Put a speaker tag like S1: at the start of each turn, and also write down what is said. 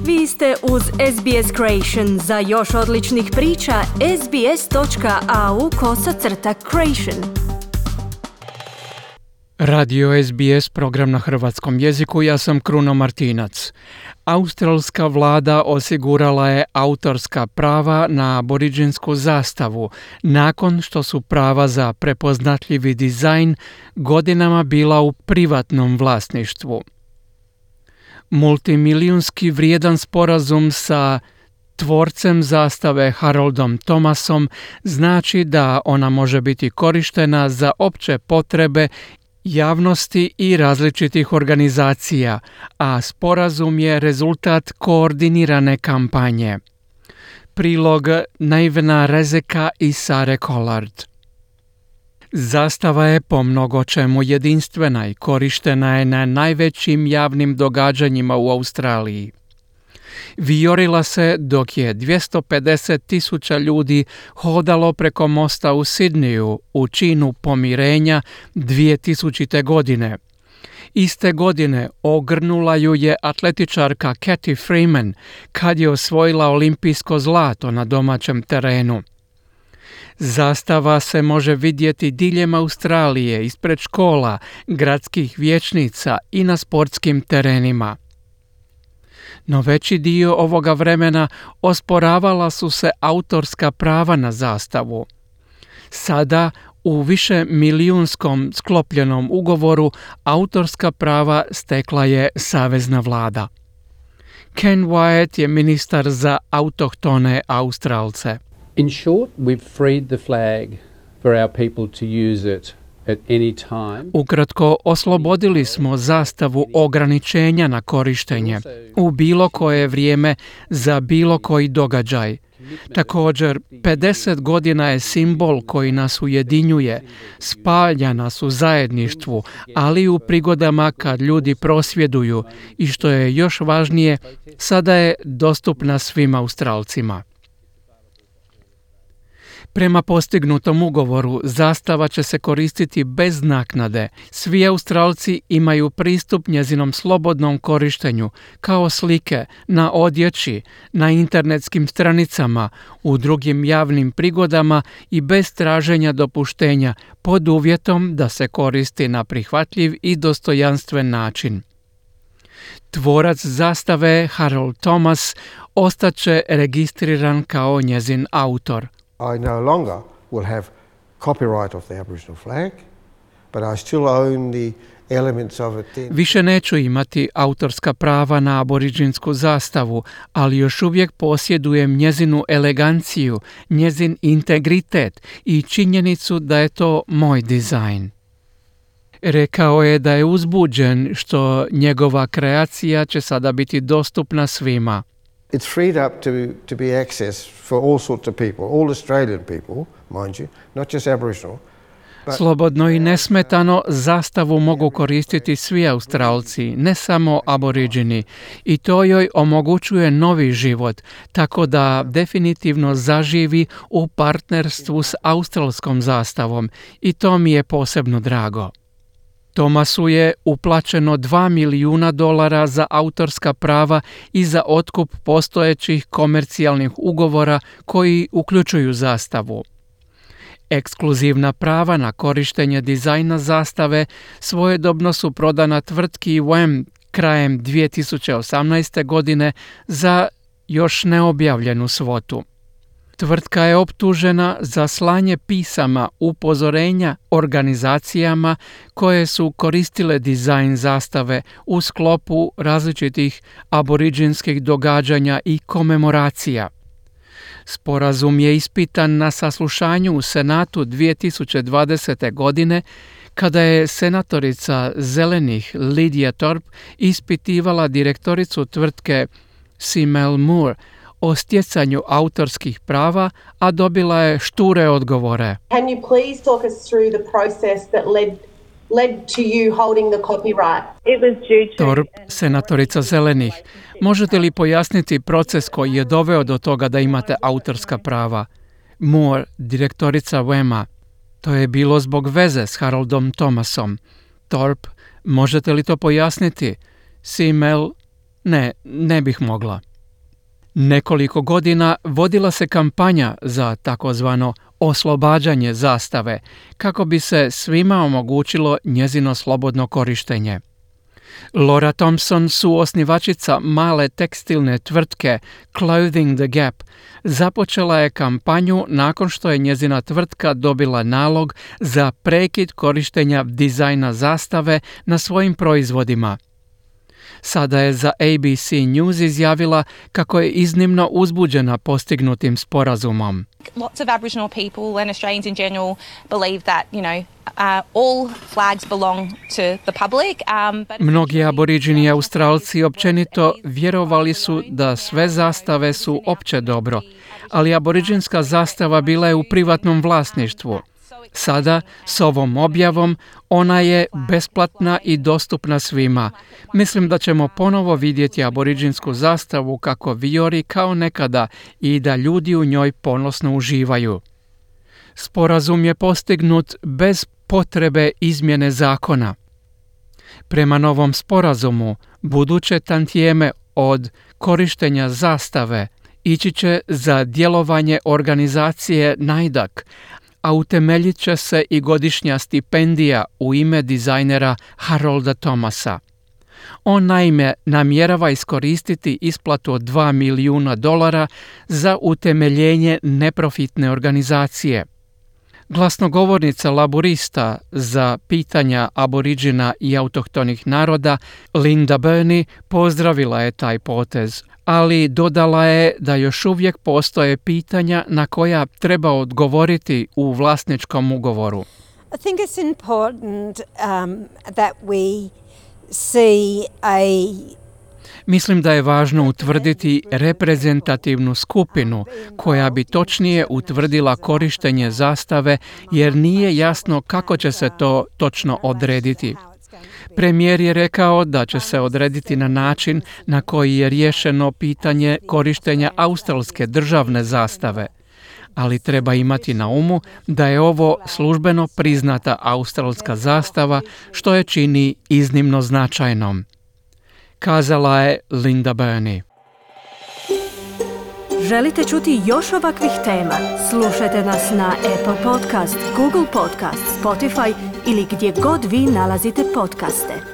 S1: Vi ste uz SBS Creation. Za još odličnih priča, sbs.au/creation.
S2: Radio SBS, program na hrvatskom jeziku, ja sam Kruno Martinac. Australska vlada osigurala je autorska prava na aboriđinsku zastavu, nakon što su prava za prepoznatljivi dizajn godinama bila u privatnom vlasništvu. Multimilijunski vrijedan sporazum sa tvorcem zastave Haroldom Thomasom znači da ona može biti korištena za opće potrebe javnosti i različitih organizacija, a sporazum je rezultat koordinirane kampanje. Prilog Naivena Rezeka i Sare Collard. Zastava je po mnogo čemu jedinstvena i korištena je na najvećim javnim događanjima u Australiji. Vijorila se dok je 250,000 ljudi hodalo preko mosta u Sidneju u činu pomirenja 2000. godine. Iste godine ogrnula ju je atletičarka Cathy Freeman kad je osvojila olimpijsko zlato na domaćem terenu. Zastava se može vidjeti diljem Australije, ispred škola, gradskih vijećnica i na sportskim terenima. No veći dio ovoga vremena osporavala su se autorska prava na zastavu. Sada, u višemilijunskom sklopljenom ugovoru, autorska prava stekla je savezna vlada. Ken Wyatt je ministar za autohtone Australce.
S3: In short, we've freed the flag for our people to use it at any time.
S2: Ukratko, oslobodili smo zastavu ograničenja na korištenje u bilo koje vrijeme za bilo koji događaj. Također, 50 godina je simbol koji nas ujedinjuje, spalja nas u zajedništvu, ali i u prigodama kad ljudi prosvjeduju i što je još važnije, sada je dostupna svim Australcima. Prema postignutom ugovoru, zastava će se koristiti bez naknade. Svi Australci imaju pristup njezinom slobodnom korištenju, kao slike, na odjeći, na internetskim stranicama, u drugim javnim prigodama i bez traženja dopuštenja, pod uvjetom da se koristi na prihvatljiv i dostojanstven način. Tvorac zastave, Harold Thomas, ostaće registriran kao njezin autor.
S4: I no longer will have copyright of the Aboriginal flag, but I still own the elements of it.
S2: Više neću imati autorska prava na aboriđinsku zastavu, ali još uvijek posjedujem njezinu eleganciju, njezin integritet i činjenicu da je to moj dizajn. Rekao je da je uzbuđen što njegova kreacija će sada biti dostupna svima.
S4: It's freed up to be accessed for all sorts of people, all Australian people, mind you, not just Aboriginal.
S2: Slobodno i nesmetano zastavu mogu koristiti svi Australci, ne samo aboriđini, i to joj omogućuje novi život, tako da definitivno zaživi u partnerstvu s australskom zastavom i to mi je posebno drago. Thomasu je uplaćeno $2 milijuna za autorska prava i za otkup postojećih komercijalnih ugovora koji uključuju zastavu. Ekskluzivna prava na korištenje dizajna zastave svojedobno su prodana tvrtki WAM krajem 2018. godine za još neobjavljenu svotu. Tvrtka je optužena za slanje pisama upozorenja organizacijama koje su koristile dizajn zastave u sklopu različitih aboriđinskih događanja i komemoracija. Sporazum je ispitan na saslušanju u Senatu 2020. godine kada je senatorica Zelenih Lydia Thorpe ispitivala direktoricu tvrtke Simel Moore o stjecanju autorskih prava, a dobila je šture odgovore.
S5: Can you please talk us through the process that led to you holding the copyright? It was due to...
S2: Thorpe, senatorica Zelenih, možete li pojasniti proces koji je doveo do toga da imate autorska prava? Moore, direktorica WAM-a, to je bilo zbog veze s Haroldom Thomasom. Thorpe, možete li to pojasniti? Simel, ne bih mogla. Nekoliko godina vodila se kampanja za takozvano oslobađanje zastave, kako bi se svima omogućilo njezino slobodno korištenje. Laura Thompson, suosnivačica male tekstilne tvrtke Clothing the Gap, započela je kampanju nakon što je njezina tvrtka dobila nalog za prekid korištenja dizajna zastave na svojim proizvodima. Sada je za ABC News izjavila kako je iznimno uzbuđena postignutim sporazumom.
S6: Lots of Aboriginal people and Australians in general believe that, all flags belong to the public.
S2: Mnogi aboriđini i Australci općenito vjerovali su da sve zastave su opće dobro, ali aboriđinska zastava bila je u privatnom vlasništvu. Sada, s ovom objavom, ona je besplatna i dostupna svima. Mislim da ćemo ponovo vidjeti aboriđinsku zastavu kako vijori kao nekada i da ljudi u njoj ponosno uživaju. Sporazum je postignut bez potrebe izmjene zakona. Prema novom sporazumu, buduće tantijeme od korištenja zastave ići će za djelovanje organizacije NAIDAC, a utemeljit će se i godišnja stipendija u ime dizajnera Harolda Thomasa. On naime namjerava iskoristiti isplatu od $2 milijuna za utemeljenje neprofitne organizacije. Glasnogovornica laburista za pitanja aboriđina i autohtonih naroda Linda Burney pozdravila je taj potez, ali dodala je da još uvijek postoje pitanja na koja treba odgovoriti u vlasničkom ugovoru.
S7: I think it's important that we see
S2: Mislim da je važno utvrditi reprezentativnu skupinu koja bi točnije utvrdila korištenje zastave, jer nije jasno kako će se to točno odrediti. Premijer je rekao da će se odrediti na način na koji je riješeno pitanje korištenja australske državne zastave. Ali treba imati na umu da je ovo službeno priznata australska zastava, što je čini iznimno značajnom. Kazala je Linda Burney.
S1: Želite čuti još ovakvih tema? Slušajte nas na Apple Podcast, Google Podcast, Spotify ili gdje god vi nalazite podcaste.